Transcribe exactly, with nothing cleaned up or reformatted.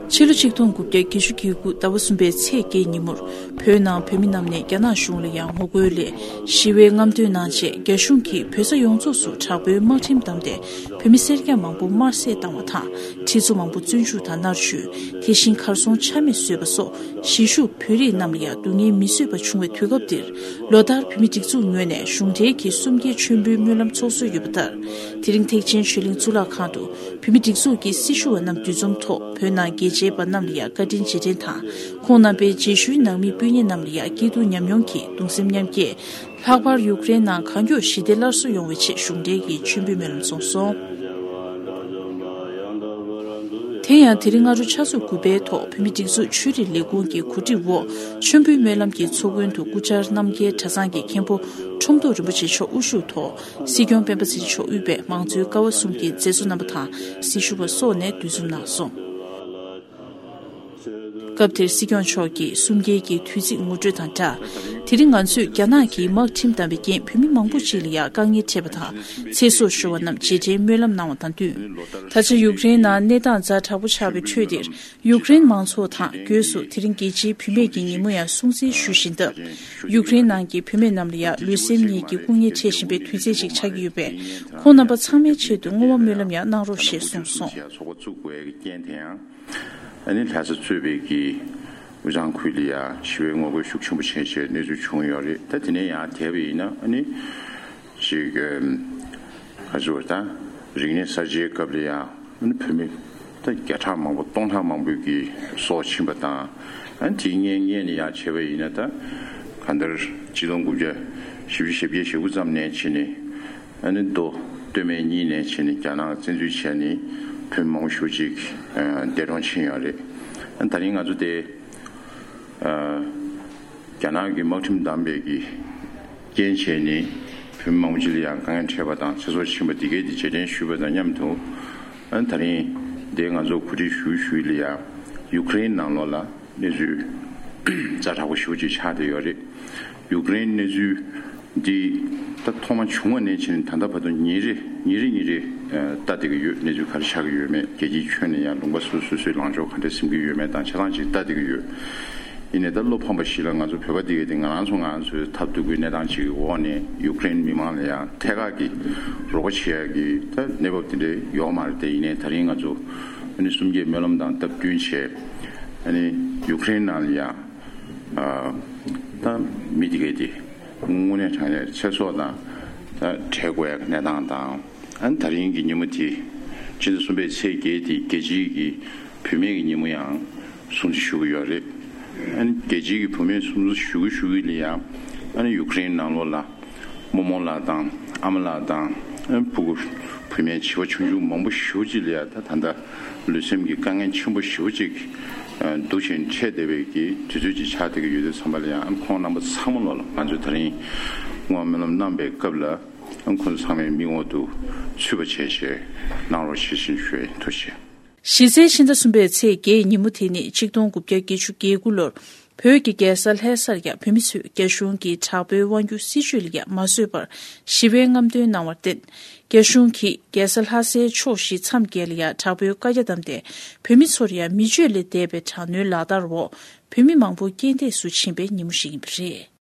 ཕྱི་ལོ་ཆིག་སྟོང་དགུ་བརྒྱ་བརྒྱད་ཅུ་གྱ་དགུ་ཟླ་བ་གསུམ་པའི་ཚེས་བརྒྱད་ཉིན་མོར། བོད་ནང་བོད་མི་རྣམས་ནས་རྒྱ་ནག་གཞུང་ལ་ཡང་ངོ་རྒོལ་ལས་ཞི་བའི་རྔམ་སྟོན་གནང་རྗེས། རྒྱ་གཞུང་གིས་བོད་ས་ཡོངས་རྫོགས་སུ་དྲག་པོའི་དམག་ཁྲིམས་བསྡམས་ཏེ། བོད་མི་སེར་སྐྱ་མང་པོ་དམར་བསད་བཏང་བ་དང་། ཁྲི་ཚོ་མང་པོ་བཙོན་འཇུག་དང་མནར་གཅོད། དེ་བཞིན་གར་སོང་ཆ་མེད་བཟོས་པ་སོགས། གཞིས་བཞུགས་བོད་རིགས་རྣམས་ལ་ཡང་སྡུག་བསྔལ་མི་བཟོད་པ་བྱུང་བའི་དུས་སྐབས་འདིར། ལོ་ལྟར་བོད་མི་སྒྲིག་འཛུགས་ངོས་ནས་གཞུང་འབྲེལ་གྱི་གསུམ་བརྒྱའི་མཆོད་འབུལ་སྨོན་ལམ་ཚོགས་སྲོལ་ཡོད་པ་ལྟར། དེ་རིང་ཐེག་ཆེན་ཆོས་གླིང་གཙུག་ལག་ཁང་དུ། བོད་མི་སྒྲིག་འཛུགས་ཀྱི་སྲི་ཞུ་བ་རྣམས་འདུ་འཛོམས་ཐོག་བོད་ནང་རྒྱལ་གཅེས་པ་རྣམས་ལ་ཡང་བཀའ་དྲིན་རྗེས་དྲན་དང་། ཁོང་རྣམ་པའི་རྗེས་ཤུལ་ནང་མི་སྤུན་ཉེ་རྣམས་ལ་ཡང་སྐྱིད་སྡུག་མཉམ་མྱོང་གིས་གདུང་སེམས་མཉམ་སྐྱེད། ལྷག་པར་ཡུཀ་རེན་ནང་གང་མགྱོགས་ཞི་བདེ་སླར་གསོ་ཡོང་བའི་ཆེད་གཞུང་འབྲེལ་གྱི་མཆོད་འབུལ་སྨོན་ལམ་གསུངས་སོང་། དེ་ཡང་དེ་རིང་སྔ་དྲོ་ཆུ་ཚོད་དགུ་པའི་ཐོག་བོད་མི་སྒྲིག་འཛུགས་ཆོས་རིག་ལས་ཁུངས་ཀྱི་གོ་སྒྲིག་འོག་མཆོད་འབུལ་སྨོན་ལམ་གྱི་ཚོགས་མགོན་དུ་སྐུ་བཅར་རྣམ་རྒྱལ་གྲྭ་ཚང་གི་མཁན་པོ་ཁྲོམ་ཐོག་རིན་པོ་ཆེ་མཆོག་དབུ་བཞུགས་ཐོག་སྲིད་སྐྱོང་སྤེན་པ་ཚེ་རིང་མཆོག་དབུས་པའི་མང་གཙོའི་ཀ་བ་གསུམ་གྱི་མཛད་གཙོ་རྣམ་པ་དང་སྲི་ཞུ་བ་སོགས་ནས་འདུ་འཛོམས་གནང་སོང་། སྐབས་དེར་སྲིད་སྐྱོང་མཆོག་གིས་གསུམ་བརྒྱའི་གི་དུས་ཚིགས་ངོ་སྤྲོད་དང་སྦྲགས། དེ་རིང་ང་ཚོས་རྒྱ་ནག་གིས་དམག་ཁྲིམས་བསྡམས་པའི་རྐྱེན་བོད་མི་མང་པོ་ཅིག་ལ་ཡང་དཀའ་ངལ་འཕྲད་པ་དང་ཚེ་སྲོག་ཤོར་བ་རྣམས་རྗེས་དྲན་སྨོན་ལམ་གནང་བ་དང་བསྟུན། ད་ཆ་ཡུཀ་རེན་ནང་གནས་སྟངས་ཛ་དྲག་པོ་ཆགས་པའི་ཁྲོད་འདིར་ཡུཀ་རེན་མང་ཚོགས་དང་སྒོས་སུ་དེ་རིང་རྒྱལ་སྤྱིའི་བུད་མེད་ཀྱི་ཉིན་མོ་ཡང་སྲུང་བརྩི་ཞུ་བཞིན་སྟབས། ཡུཀ་རེན་ནང་གི་བུད་མེད་རྣམས་ལ་ཡང་ལུས་སེམས་གཉིས་ཀྱི་སྐུ་ངལ་འཕྲད་བཞིན་པའི་དུས་ཚོད་ཅིག་ཆགས་ཀྱི་ཡོད་པས། ཁོང་རྣམ་པ་ཚང་མའི་ཆེད་དུ་བསྔོ་བ་སྨོན་ལམ་ཡང་གནང་རོགས་ཞེས་གསུངས་སོང་། ཨ་ནི་ལྷ་ས་གཙོས་པའི་གི་ཝུ་ཅང་ཁུལ་ལ་ཡང་ཞི་བའི་ངོ་རྒོལ་ཤུགས་ཆེན་པོ་བྱས་བྱས་གནས་ཚུལ་བྱུང་ཡོད་རེད། ད་དེ་ནས་ཡང་དེ་བས་ཡིན་ན་ཨ་ནི་ཅིག་ག་ཚོད་ད་རིག་གནས་གསར་བརྗེའི་སྐབས་ལ་ཡང་ཨ་ནི་བོད་མི་ད་བརྒྱ་ཕྲག་མང་པོ་སྟོང་ཕྲག་མང་པོའི་གི་སྲོག་ཕྱིན་པ་དང་། ཨ་ནི་དེའི་སྔོན་སྔོན་ནས་ཡང་བྱས་པ་ཡིན་ན་ད་གང་ལྟར་ཆིག་སྟོང་དགུ་བརྒྱ་བཞི་བཅུ་ཞེ་བརྒྱད་ཞེ་དགུ་ཙམ་ནས་བྱས་ནས། ཨ་ནི་མདོ་སྟོད་སྨད་གཉིས་ནས་བྱས་ནས་རྒྱ་ནག་བཙན་འཛུལ་བྱས་ནས་བོད་མི་མང་པོ་ཞེ་པོ་ཅིག་ཨ་འདས་གྲོངས་ཕྱིན་ཡོད་རེད། ཨ་ནི་ད་རིང་ང་ཚོ་དེ་ཨ་རྒྱ་ནག་གི་དམག་ཁྲིམས་བསྡམས་པའི་གི་རྐྱེན་བྱས་ནས་བོད་མི་མང་པོ་ཅིག་ལ་ཡང་དཀའ་ངལ་འཕྲད་པ་དང་ཚེ་སྲོག་ཕྱིན་པ་འདི་གའི་དེ་རྗེས་དྲན་ཞུས་པ་དང་མཉམ་དུ། ཨ་ནི་ད་རིང་དེ་ང་ཚོ་གོ་སྒྲིག་ཞུ་ཞུས་ལ་ཡང་ཡུཀ་རེན་ནང་ལོགས་ལ་གནས་ཚུལ་ཛ་དྲག་པོ་ཞེ་པོ་ཅིག་ཆགས་བསྡད་ཡོད་རེད། ཡུཀ་རེན་གནས་ཚུལ་འདི་ད་ཐོག་མ་བྱུང་བ་ནས་བྱས་ནས་ད་ལྟ་བར་དུ་ཉིན་རེ་ཉིན་རེ་ཉིན་རེ་ཨ་ལྟ་བསྡད་ཀྱི་ཡོད། གནས་ཚུལ་ག་རེ་ཆགས་ཀྱི་ཡོད་མེད། རྒྱལ་སྤྱིའི་ཁྱོན་ནས་ཡང་ལུང་པ་སོ་སོ་སོ་སོའི་ལངས་ཕྱོགས་ག་འདྲ་འཛིན་གྱི་ཡོད་མེད་དང་ཆ་ཚང་ཅིག་ལྟ་བསྡད་ཀྱི་ཡོད། ཡིན་ནའི་ད་བློ་ཕམ་པ་ཞིག་ལ་ང་ཚོ་བོད་པ་འདི་གས་དེ་ང་རང་ཚོ་ང་ཚོའི་ཐབས་སྡུག་གི་གནས་སྟངས་ཅིག་གི་འོག་ནས་ཡུཀ་རེན་མི་མང་ལ་ཡང་ཐད་ཀར་གྱི་རོགས་པ་བྱེད་ཡག་གི་ད་གནས་བབ་དེ་འདྲ་ཡོད་མ་རེད་དེ། ཡིན་ནའི་ད་རིང་ང་ཚོ་ཨ་ནི་གསུམ་བརྒྱའི་སྨོན་ལམ་དང་སྟབས་བསྟུན་བྱས། ཨ་ནི་ཡུཀ་རེན་ནང་ལ་ཡང་ཨ་ད་མི་དེ་གས་དེ་དངོས་གནས་དྲང་གནས་ཚེ་སྲོག་དང་ད་བྲལ་དགོས་ཡག་གི་གནས་སྟངས་དང་། ཨ་ནི་ད་རིང་གི་ཉིན་མོ་དེ་ཕྱི་ཟླ་གསུམ་པའི་ཚེས་བརྒྱད་དེ་རྒྱལ་སྤྱིའི་གི་བུད་མེད་ཀྱི་ཉིན་མོ་ཡང་སྲུང་བརྩི་ཞུ་གི་ཡོད་རེད། ཨ་ནི་རྒྱལ་སྤྱིའི་གི་བུད་མེད་སྲུང་བརྩི་ཞུ་གི་ཞུ་གི་ལ་ཡང་ཨ་ནི་ཡུཀ་རེན་ནང་ལོགས་ལ་རྨོ་མོ་ལགས་དང་ཨ་མ་ལགས་དང་ཨ་ནི་ཕྲུ་གུ་བུད་མེད་བྱིས་པ་ཆུང་ཆུང་མང་པོ་ཞེ་པོ་ཅིག་ལ་ཡང་ད་ད་ལྟ་ལུས་སེམས་ཀྱི་དཀའ་ངལ་ཆེན་པོ་ཞེ་པོ་ཅིག་ཨ་འདུག་བཞིན་འཕྲད་བསྡད་པའི་གི་དུས་ཚོད་ཅིག་ཆགས་བསྡད་ཀྱི་ཡོད་དུས་ཙམ་པ་ལ་ཡང་ཨ་ནི་ཁོང་རྣམ་པ་ཚང་མ་ལོ་ལ་ང་ཚོས་ད་རིང་བསྔོ་བ་སྨོན་ལམ་གནང་པའི་སྐབས་ལ། ཁོང་ཚོ་ཚང་མའི་མིག་འོག་ཏུ་ཚུད་པ་བྱས་བྱས་གནང་རོགས་ཞེས་བཞིན་ཞུ་ཡས། ཐུགས་རྗེ་ཆེ། གཞི་རྩའི་ཕྱི་ཟླ་གསུམ་པའི་ཚེས་བརྒྱད་ཉིན་མོ་དེ་ནི་ཆིག་སྟོང་དགུ་བརྒྱ་བརྒྱད་ཅུ་གྱ་དགུ་ལོར་བོད་ཀྱི་རྒྱལ་ས་ལྷ་སར་ཡང་བོད་མི་ཚོས་རྒྱ་གཞུང་གི་དྲག་པོའི་དབང་སྒྱུར་སྲིད་བྱུས་ལ་ཡང་མ་བཟོད་པར་ཞི་བའི་རྔམ་སྟོན་གནང་བར་བརྟེན། རྒྱ་གཞུང་གིས་རྒྱལ་ས་ལྷ་སའི་ཕྱོགས་བཞི་མཚམས་བརྒྱད་ལ་ཡང་དྲག་པོའི་བཀའ་རྒྱ་བསྡམས་ཏེ་བོད་མི་ཚོར་ཡང་མི་སྤྱོད་ལས་འདས་པའི་དྲག་གནོན་ལག་བསྟར་འོག་བོད་མི་མང་པོ་རྐྱེན་འདས་སུ་ཕྱིན་པའི་ཉིན་མོ་ཞིག་ཡིན་པ་རེད།